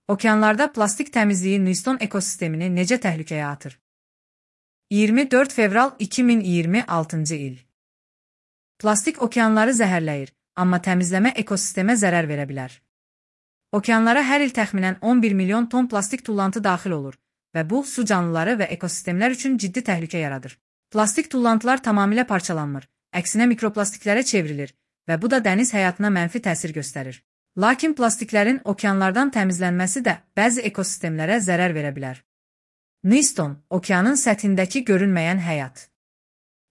Okeanlarda plastik təmizliyi Newston ekosistemini necə təhlükəyə atır? 24 fevral 2026-cı il. Plastik okeanları zəhərləyir, amma təmizləmə ekosistemə zərər verə bilər. Okeanlara hər il təxminən 11 milyon ton plastik tullantı daxil olur və bu, su canlıları və ekosistemlər üçün ciddi təhlükə yaradır. Plastik tullantılar tamamilə parçalanmır, əksinə mikroplastiklərə çevrilir və bu da dəniz həyatına mənfi təsir göstərir. Lakin plastiklərin okeanlardan təmizlənməsi də bəzi ekosistemlərə zərər verə bilər. Newston, okeanın səthindəki görünməyən həyat.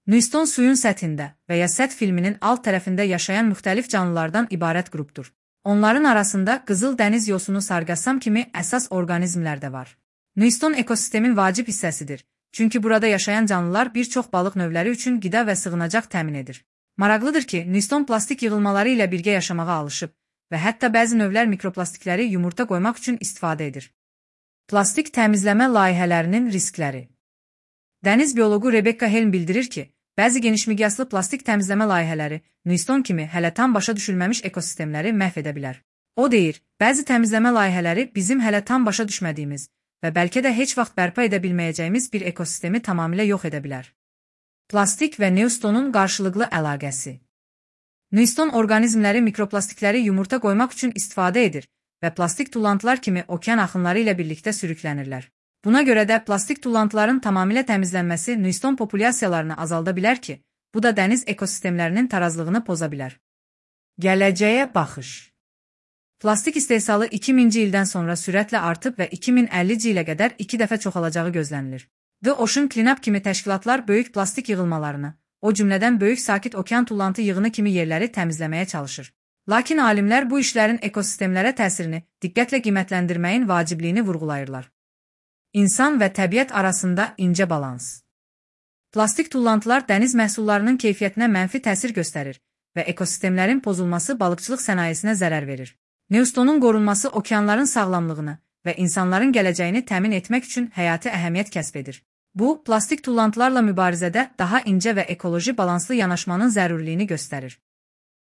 Newston suyun səthində və ya səth filminin alt tərəfində yaşayan müxtəlif canlılardan ibarət qrupdur. Onların arasında qızıl dəniz yosunu sargassam kimi əsas orqanizmlər də var. Newston ekosistemin vacib hissəsidir, çünki burada yaşayan canlılar bir çox balıq növləri üçün qida və sığınacaq təmin edir. Maraqlıdır ki, Newston plastik yığılmaları ilə birgə yaşamağa alışıb və hətta bəzi növlər mikroplastikləri yumurta qoymaq üçün istifadə edir. Plastik təmizləmə layihələrinin riskləri. Dəniz bioloqu Rebecca Helm bildirir ki, bəzi genişmiqyaslı plastik təmizləmə layihələri Newston kimi hələ tam başa düşülməmiş ekosistemləri məhv edə bilər. O deyir, bəzi təmizləmə layihələri bizim hələ tam başa düşmədiyimiz və bəlkə də heç vaxt bərpa edə bilməyəcəyimiz bir ekosistemi tamamilə yox edə bilər. Plastik və Newstonun qarşılıqlı əlaqəsi. Newston orqanizmləri mikroplastikləri yumurta qoymaq üçün istifadə edir və plastik tullantılar kimi okean axınları ilə birlikdə sürüklənirlər. Buna görə də plastik tullantıların tamamilə təmizlənməsi Newston populyasiyalarını azalda bilər ki, bu da dəniz ekosistemlərinin tarazlığını poza bilər. Gələcəyə baxış. Plastik istehsalı 2000-ci ildən sonra sürətlə artıb və 2050-ci ilə qədər 2 dəfə çoxalacağı gözlənilir. The Ocean Cleanup kimi təşkilatlar böyük plastik yığılmalarını, o cümlədən böyük sakit okean tullantı yığını kimi yerləri təmizləməyə çalışır. Lakin alimlər bu işlərin ekosistemlərə təsirini diqqətlə qiymətləndirməyin vacibliyini vurğulayırlar. İnsan və təbiət arasında incə balans. Plastik tullantılar dəniz məhsullarının keyfiyyətinə mənfi təsir göstərir və ekosistemlərin pozulması balıqçılıq sənayesinə zərər verir. Newstonun qorunması okeanların sağlamlığını və insanların gələcəyini təmin etmək üçün həyati əhəmiyyət kəsb edir. Bu, plastik tullantılarla mübarizədə daha incə və ekoloji balanslı yanaşmanın zərurliyini göstərir.